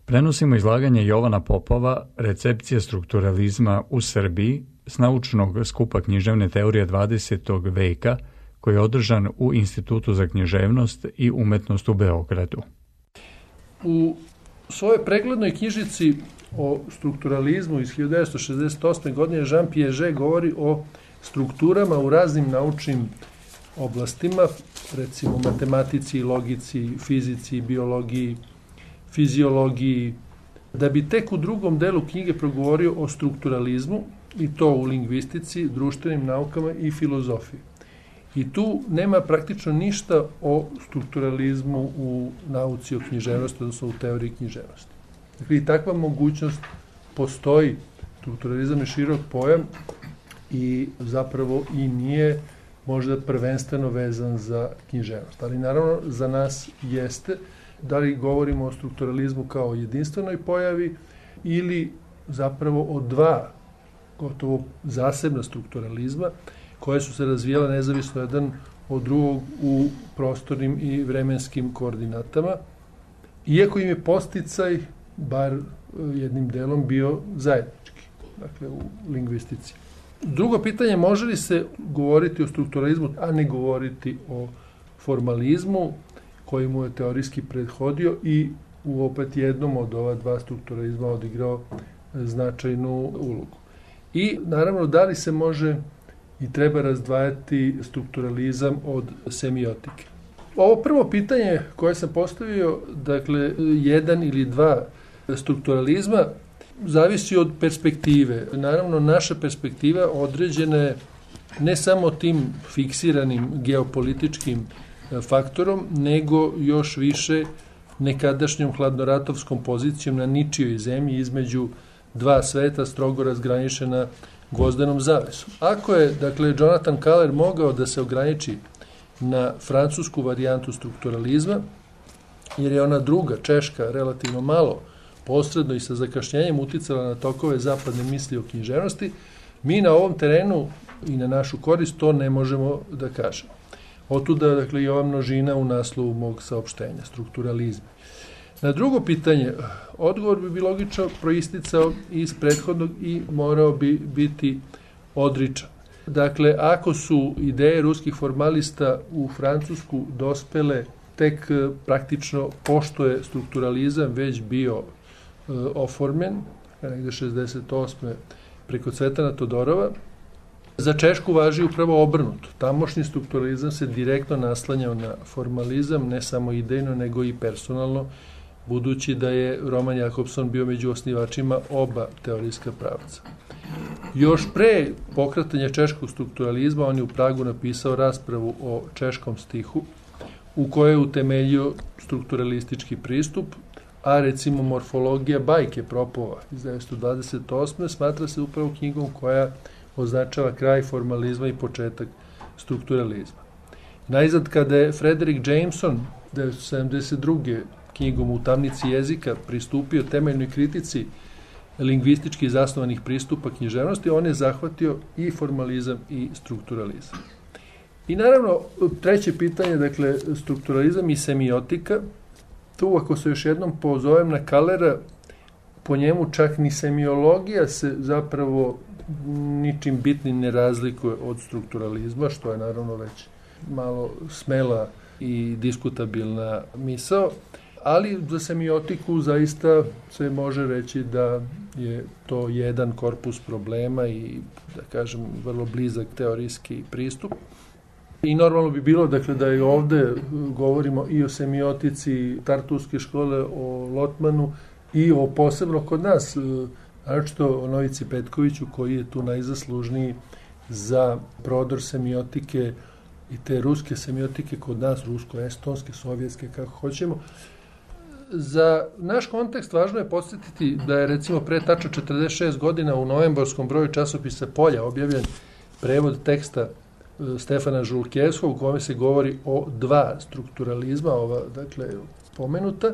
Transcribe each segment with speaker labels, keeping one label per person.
Speaker 1: Prenosimo izlaganje Jovana Popova, Recepcija strukturalizma u Srbiji, s naučnog skupa književne teorije 20. veka, koji je održan u Institutu za književnost i umetnost u Beogradu.
Speaker 2: U svojoj preglednoj knjižici o strukturalizmu iz 1968. godine Jean Piaget govori o strukturama u raznim naučnim oblastima, recimo matematici, logici, fizici, biologiji, fiziologiji, da bi tek u drugom delu knjige progovorio o strukturalizmu, i to u lingvistici, društvenim naukama i filozofiji. I tu nema praktično ništa o strukturalizmu u nauci o književnosti, odnosno u teoriji književnosti. Dakle, i takva mogućnost postoji. Strukturalizam je širok pojam i zapravo i nije možda prvenstveno vezan za književnost. Ali naravno za nas jeste, da li govorimo o strukturalizmu kao jedinstvenoj pojavi ili zapravo o dva gotovo zasebna strukturalizma koje su se razvijale nezavisno jedan od drugog u prostornim i vremenskim koordinatama, iako im je podsticaj, bar jednim delom, bio zajednički, dakle u lingvistici. Drugo pitanje, može li se govoriti o strukturalizmu, a ne govoriti o formalizmu, koji mu je teorijski prethodio i u opet jednom od ova dva strukturalizma odigrao značajnu ulogu. I naravno, da li se može i treba razdvajati strukturalizam od semiotike. Ovo prvo pitanje koje sam postavio, dakle, jedan ili dva strukturalizma, zavisi od perspektive. Naravno, naša perspektiva određena je ne samo tim fiksiranim geopolitičkim faktorom, nego još više nekadašnjom hladnoratovskom pozicijom na ničijoj zemlji između dva sveta strogo razgraničena gvozdenom zavesom. Ako je, dakle, Jonathan Kahler mogao da se ograniči na francusku varijantu strukturalizma, jer je ona druga, češka, relativno malo posredno i sa zakašnjenjem uticala na tokove zapadne misli o književnosti, mi na ovom terenu i na našu korist to ne možemo da kažemo. Otuda, dakle, i ova množina u naslovu mog saopštenja, strukturalizma. Na drugo pitanje, odgovor bi logično proisticao iz prethodnog i morao bi biti odričan. Dakle, ako su ideje ruskih formalista u Francusku dospele tek praktično pošto je strukturalizam već bio oformljen, negde 68. preko Cvetana Todorova, za Češku važi upravo obrnuto. Tamošnji strukturalizam se direktno naslanjao na formalizam, ne samo idejno, nego i personalno, budući da je Roman Jakobson bio među osnivačima oba teorijska pravca. Još pre pokretanja češkog strukturalizma on je u Pragu napisao raspravu o češkom stihu, u kojoj je utemeljio strukturalistički pristup, a recimo Morfologija bajke Propova iz 1928. smatra se upravo knjigom koja označava kraj formalizma i početak strukturalizma. Najzad, kada je Frederick Jameson 1972. knjigom U tamnici jezika pristupio temeljnoj kritici lingvistički zasnovanih pristupa književnosti, on je zahvatio i formalizam i strukturalizam. I naravno, treće pitanje, dakle, strukturalizam i semiotika. Tu, ako se još jednom pozovem na Kahlera, po njemu čak ni semiologija se zapravo ničim bitnim ne razlikuje od strukturalizma, što je naravno već malo smela i diskutabilna misao, ali za semiotiku zaista se može reći da je to jedan korpus problema i, da kažem, vrlo blizak teorijski pristup. I normalno bi bilo, dakle, da i ovde govorimo i o semiotici Tartuske škole, o Lotmanu i o posebno kod nas, naročito o Novici Petkoviću, koji je tu najzaslužniji za prodor semiotike i te ruske semiotike kod nas, rusko-estonske, sovjetske, kako hoćemo. Za naš kontekst važno je podsjetiti da je, recimo, pre tačno 46 godina u novembarskom broju časopisa Polja objavljen prevod teksta Stefana Žulkevskog, u kome se govori o dva strukturalizma, ova, dakle, pomenuta.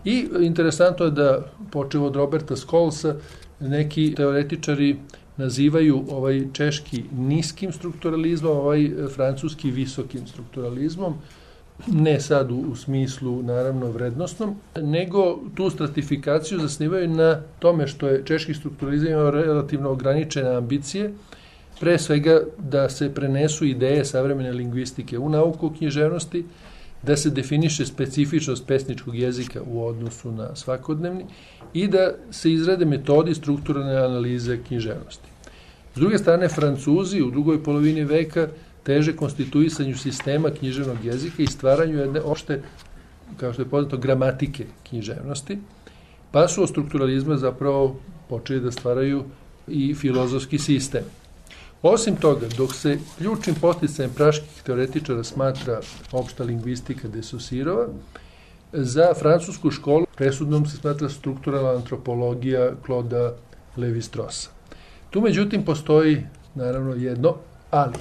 Speaker 2: I interesantno je da, počev od Roberta Scholza, neki teoretičari nazivaju ovaj češki niskim strukturalizmom, ovaj francuski visokim strukturalizmom, ne sad u smislu, naravno, vrednostnom, nego tu stratifikaciju zasnivaju na tome što je češki strukturalizam imao relativno ograničene ambicije, pre svega da se prenesu ideje savremene lingvistike u nauku o književnosti, da se definiše specifičnost pesničkog jezika u odnosu na svakodnevni i da se izrade metodi strukturalne analize književnosti. S druge strane, Francuzi u drugoj polovini veka teže konstituisanju sistema književnog jezika i stvaranju jedne opšte, kao što je poznato, gramatike književnosti, pa su od strukturalizma zapravo počeli da stvaraju i filozofski sistem. Osim toga, dok se ključnim posticajem praških teoretičara smatra opšta lingvistika de Saussirova, za francusku školu presudnom se smatra strukturalna antropologija Clauda Lévi-Straussa. Tu, međutim, postoji, naravno, jedno ali.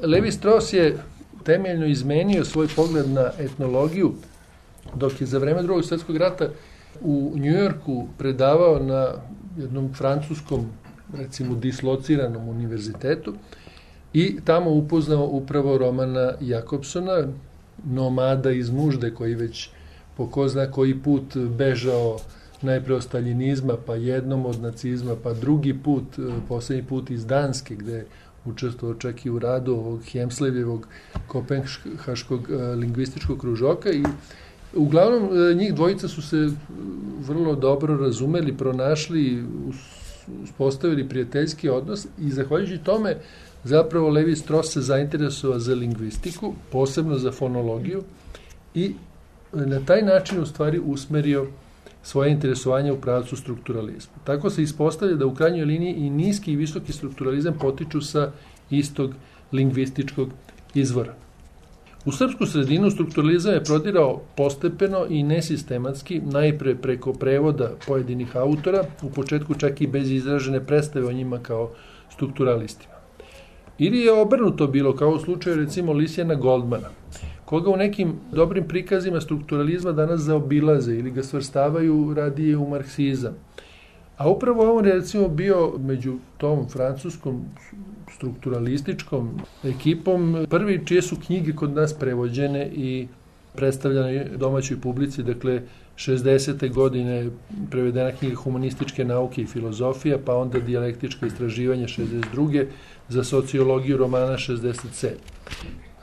Speaker 2: Lévi-Strauss je temeljno izmenio svoj pogled na etnologiju, dok je za vreme Drugog svjetskog rata u Njujorku predavao na jednom francuskom, recimo, dislociranom univerzitetu i tamo upoznao upravo Romana Jakobsona, nomada iz nužde koji već po ko zna koji put bežao najpre od staljinizma, pa jednom od nacizma, pa drugi put, poslednji put iz Danske, gde je učestvovao čak i u radu ovog Hemslevjevog kopenhaškog lingvističkog kružoka i uglavnom njih dvojica su se vrlo dobro razumeli, pronašli, uspostavili prijateljski odnos i zahvaljujući tome zapravo Lévi-Strauss se zainteresovao za lingvistiku, posebno za fonologiju i na taj način u stvari usmerio svoje interesovanje u pravcu strukturalizma. Tako se ispostavlja da u krajnjoj liniji i niski i visoki strukturalizam potiču sa istog lingvističkog izvora. U srpsku sredinu strukturalizam je prodirao postepeno i nesistematski, najpre preko prevoda pojedinih autora, u početku čak i bez izražene predstave o njima kao strukturalistima. Ili je obrnuto bilo, kao u slučaju recimo Lisijana Goldmana, koga u nekim dobrim prikazima strukturalizma danas zaobilaze ili ga svrstavaju radije u marksizam. A upravo on je recimo bio među tom francuskom strukturalističkom ekipom prvi čije su knjige kod nas prevođene i predstavljene domaćoj publici, dakle 60. godine prevedena knjiga Humanističke nauke i filozofija, pa onda Dijalektička istraživanja 62. za sociologiju romana 67.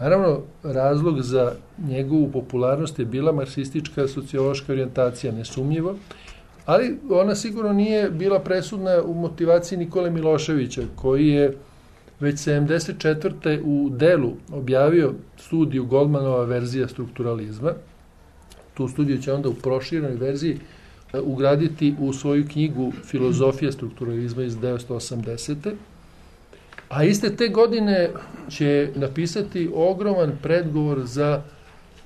Speaker 2: Naravno, razlog za njegovu popularnost je bila marksistička sociološka orijentacija, nesumnjivo, ali ona sigurno nije bila presudna u motivaciji Nikole Miloševića, koji je već 74. u delu objavio studiju Goldmanova verzija strukturalizma. Tu studiju će onda u proširenoj verziji ugraditi u svoju knjigu Filozofija strukturalizma iz 1980. A iste te godine će napisati ogroman predgovor za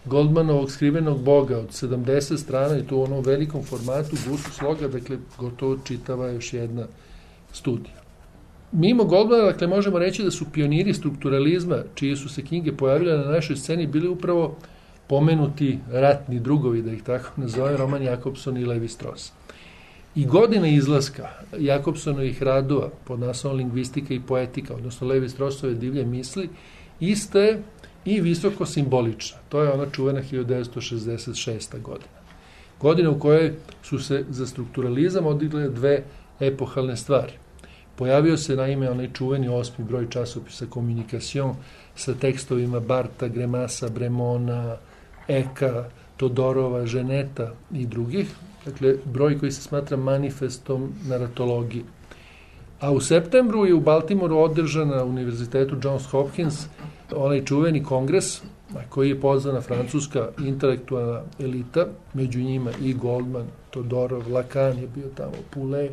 Speaker 2: Goldmanovog skrivenog boga od 70 strana i to u onom velikom formatu, gustu sloga, dakle gotovo čitava još jedna studija. Mimo Goldmana, dakle, možemo reći da su pioniri strukturalizma, čije su se knjige pojavile na našoj sceni, bili upravo pomenuti ratni drugovi, da ih tako nazove, Roman Jakobson i Lévi-Strauss. I godine izlaska Jakobsonovih radova pod naslovom Lingvistika i poetika, odnosno Lévi-Straussove divlje misli, ista je i visoko simbolična. To je ona čuvena 1966. godina. Godina u kojoj su se za strukturalizam odigle dve epohalne stvari. Pojavio se naime onaj čuveni 8. broj časopisa Communication sa tekstovima Barta, Gremasa, Bremona, Eka, Todorova, Ženeta i drugih. Dakle, broj koji se smatra manifestom naratologije. A u septembru je u Baltimoru održan na Univerzitetu Johns Hopkins onaj čuveni kongres koji je pozvana francuska intelektualna elita, među njima i Goldman, Todorov, Lacan je bio tamo, Poulet,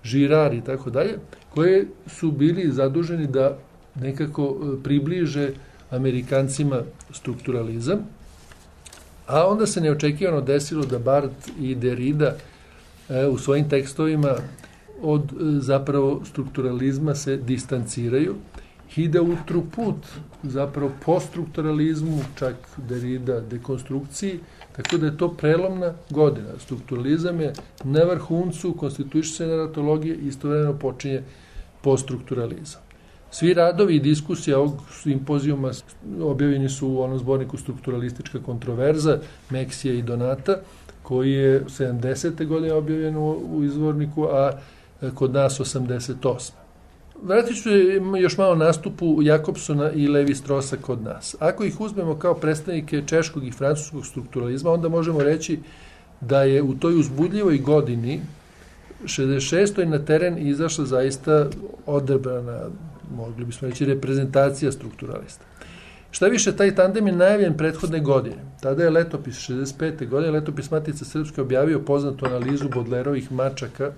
Speaker 2: Girard i tako dalje, koji su bili zaduženi da nekako približe Amerikancima strukturalizam. A onda se neočekivano desilo da Barth i Derrida u svojim tekstovima od zapravo strukturalizma se distanciraju i da utru put zapravo po strukturalizmu, čak Derrida dekonstrukciji, tako da je to prelomna godina. Strukturalizam je na vrhuncu konstituiše se naratologije i istovremeno počinje poststrukturalizam. Svi radovi i diskusije ovog simpozijuma objavljeni su u onom zborniku Strukturalistička kontroverza Meksija i Donata, koji je 70. godine objavljen u izvorniku, a kod nas 88. Vratit ću još malo nastupu Jakobsona i Levi Strosa kod nas. Ako ih uzmemo kao predstavnike češkog i francuskog strukturalizma, onda možemo reći da je u toj uzbudljivoj godini 66. na teren izašla zaista odabrana, mogli bismo reći, reprezentacija strukturalista. Šta više, taj tandem je najavljen prethodne godine. Tada je letopis 65. godine, letopis Matice Srpske objavio poznatu analizu Bodlerovih mačaka,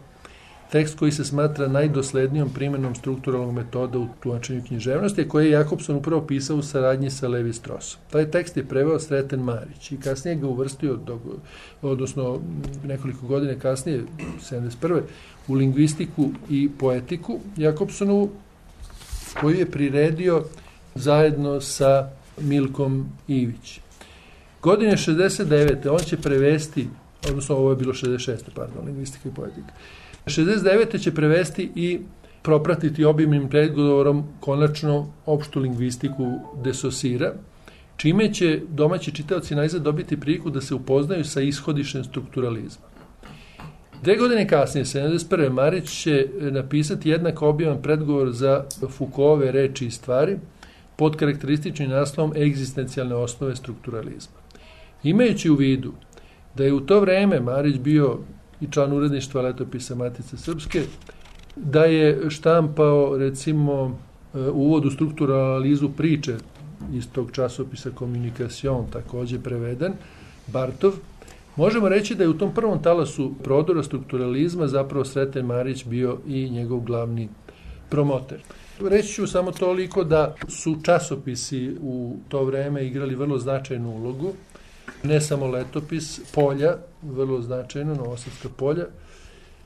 Speaker 2: tekst koji se smatra najdoslednijom primjenom strukturalnog metoda u tumačenju književnosti, a koje je Jakobson upravo pisao u saradnji sa Levi Strosom. Taj tekst je preveo Sreten Marić i kasnije ga uvrstio, odnosno nekoliko godine kasnije, 71. u lingvistiku i poetiku Jakobsonovu, koju je priredio zajedno sa Milkom Ivić. Godine 69. on će prevesti, odnosno ovo je bilo 66. lingvistika i poetika. 69. će prevesti i propratiti obimnim predgovorom konačno opštu lingvistiku de Saussura, čime će domaći čitaoci najzad dobiti priliku da se upoznaju sa ishodištem strukturalizma. 2 godine kasnije, 71. Marić će napisati jednako obiman predgovor za Foucaultove Reči i stvari pod karakterističnim naslovom Egzistencijalne osnove strukturalizma. Imajući u vidu da je u to vreme Marić bio i član uredništva letopisa Matice Srpske, da je štampao, recimo, uvod u strukturalnu analizu priče iz tog časopisa Communication, takođe preveden, Bartov, možemo reći da je u tom prvom talasu prodora strukturalizma zapravo Sreten Marić bio i njegov glavni promoter. Reći ću samo toliko da su časopisi u to vreme igrali vrlo značajnu ulogu, ne samo letopis, Polja, vrlo značajno, Novosadska Polja,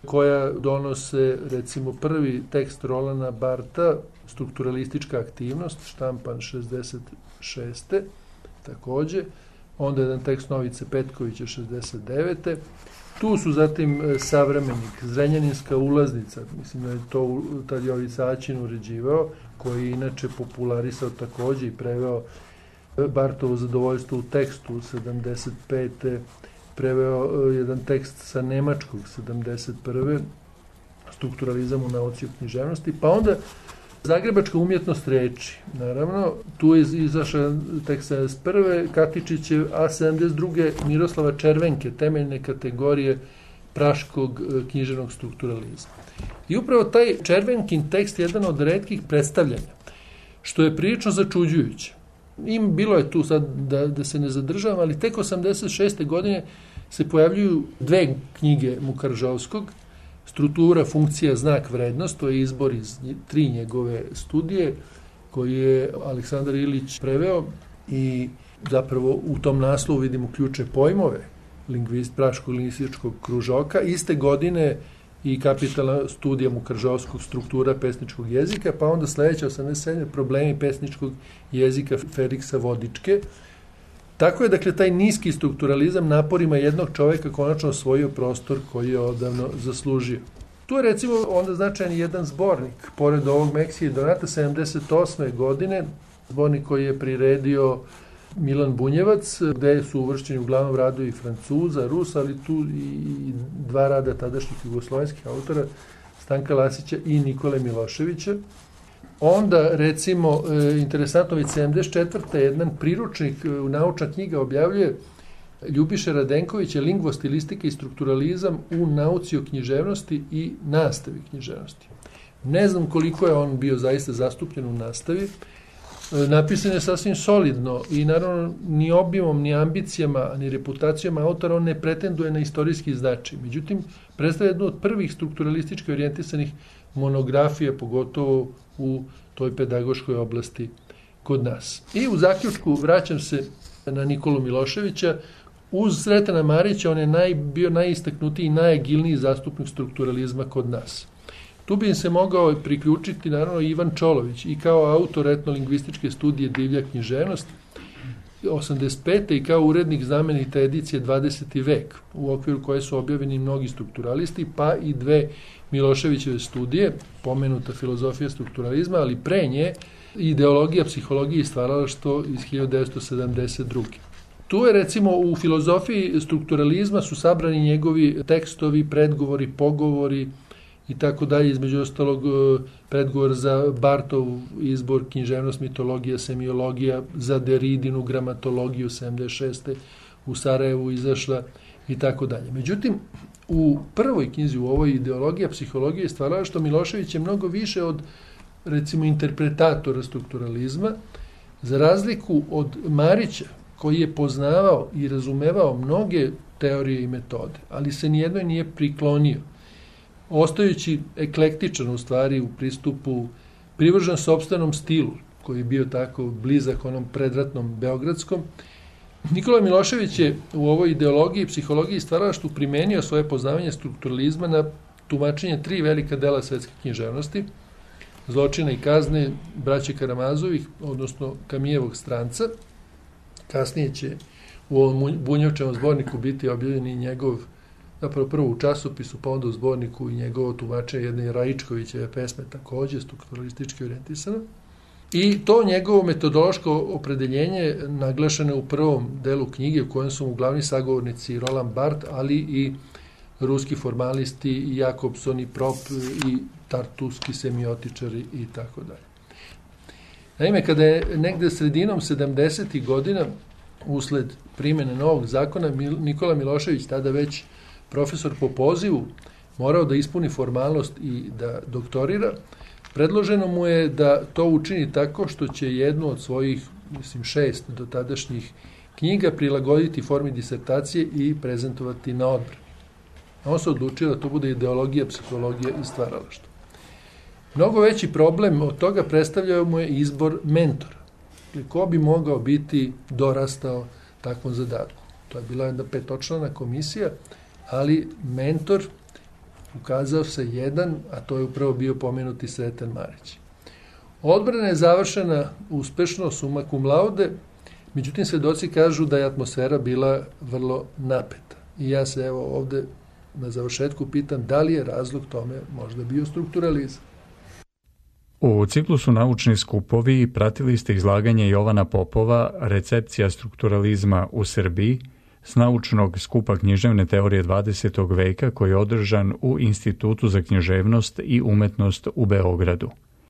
Speaker 2: koja donose, recimo, prvi tekst Rolana Barta, Strukturalistička aktivnost, štampan 66. takođe, onda jedan tekst Novice Petkovića 69. Tu su zatim Savremenik, Zrenjaninska ulaznica, mislim da je to tad Jovica Aćin uređivao, koji je inače popularisao takođe i preveo Bartovo zadovoljstvo u tekstu 75. preveo jedan tekst sa nemačkog 71. Strukturalizam u nauci o književnosti, pa onda Zagrebačka umjetnost reči. Naravno, tu je izašao tekst 71. Katičićev, a 72. Miroslava Červenke, temeljne kategorije praškog književnog strukturalizma. I upravo taj Červenkin tekst je jedan od retkih predstavljanja, što je prilično začuđujuće. Bilo je tu sad da se ne zadržavam, ali tek 86. godine se pojavljuju 2 knjige Mukaržovskog, Struktura, funkcija, znak, vrednost, to je izbor iz 3 njegove studije, koji je Aleksandar Ilić preveo i zapravo u tom naslovu vidimo ključe pojmove praškog lingvističkog kružoka. Iste godine i kapitalna studija Mukaržovskog, struktura pesničkog jezika, pa onda sledeća 87. problemi pesničkog jezika Feliksa Vodičke. Tako je, dakle, taj niski strukturalizam naporima jednog čoveka konačno osvojio prostor koji je odavno zaslužio. Tu je, recimo, onda značajan jedan zbornik, pored ovog Meksije i Donata, 78. godine, zbornik koji je priredio Milan Bunjevac, gde su uvršćeni uglavnom radovi Francuza, Rusa, ali tu i 2 rada tadašnjih jugoslovenskih autora, Stanka Lasića i Nikole Miloševića. Onda, recimo, interesantno, već 74. jedan priručnik, naučna knjiga objavljuje Ljubiša Radenkovića, Lingvostilistika i strukturalizam u nauci o književnosti i nastavi književnosti. Ne znam koliko je on bio zaista zastupljen u nastavi. Napisan je sasvim solidno i naravno ni obimom, ni ambicijama, ni reputacijama autora on ne pretenduje na istorijski značaj. Međutim, predstavlja jednu od prvih strukturalistički orijentisanih monografija, pogotovo u toj pedagoškoj oblasti kod nas. I u zaključku vraćam se na Nikolu Miloševića. Uz Sretena Marića on je bio najistaknutiji i najagilniji zastupnik strukturalizma kod nas. Tu bi im se mogao priključiti naravno Ivan Čolović i kao autor etnolingvističke studije Divlja književnost, 1985. i kao urednik znamenite edicije 20. vek, u okviru koje su objavljeni mnogi strukturalisti, pa i dve Miloševićeve studije, pomenuta filozofija strukturalizma, ali pre nje ideologija psihologije i stvaralaštvo iz 1972. Tu je recimo u filozofiji strukturalizma su sabrani njegovi tekstovi, predgovori, pogovori i tako dalje, između ostalog predgovor za Bartov izbor književnost, mitologija, semiologija, za Deridinu gramatologiju 76. u Sarajevu izašla i tako dalje. Međutim, u prvoj knjizi, u ovoj ideologija psihologije i stvaralaštvo, Milošević je mnogo više od recimo interpretatora strukturalizma, za razliku od Marića, koji je poznavao i razumevao mnoge teorije i metode, ali se nijednoj nije priklonio. Ostajući eklektičan u stvari u pristupu, privržen sopstvenom stilu, koji je bio tako blizak onom predratnom beogradskom, Nikola Milošević je u ovoj ideologiji, psihologiji i stvaralaštvu primenio svoje poznavanje strukturalizma na tumačenje 3 velika dela svetske književnosti, Zločina i kazne braće Karamazovih, odnosno Kamijevog stranca. Kasnije će u ovom Bunjevčevom zborniku biti objavljen i njegov, zapravo prvo u časopisu, pa onda u zborniku i njegovo tumačenje jedne Raičkovićeve pesme, takođe strukturalistički orijentisano. I to njegovo metodološko opredeljenje naglašeno u prvom delu knjige, u kojem su mu glavni sagovornici Roland Barthes, ali i ruski formalisti, i Jakobson, i Prop, i tartuski semiotičari i tako dalje. Naime, kada je negde sredinom 70. godina, usled primjene novog zakona, Nikola Milošević, tada već profesor po pozivu, morao da ispuni formalnost i da doktorira, predloženo mu je da to učini tako što će jednu od svojih, 6 dotadašnjih knjiga prilagoditi formi disertacije i prezentovati na odbrani. On se odlučio da to bude ideologija, psihologija i stvaralaštvo. Mnogo veći problem od toga predstavljao mu je izbor mentora. Ko bi mogao biti dorastao takvom zadatku? To je bila jedna 5-člana komisija, ali mentor ukazao se jedan, a to je upravo bio pomenuti Sreten Marić. Odbrana je završena uspešno, summa cum laude, međutim svedoci kažu da je atmosfera bila vrlo napeta. I ja se evo ovde na završetku pitam da li je razlog tome možda bio strukturalizam.
Speaker 1: U ciklusu Naučni skupovi pratili ste izlaganje Jovana Popova Recepcija strukturalizma u Srbiji s naučnog skupa književne teorije 20. veka koji je održan u Institutu za književnost i umetnost u Beogradu.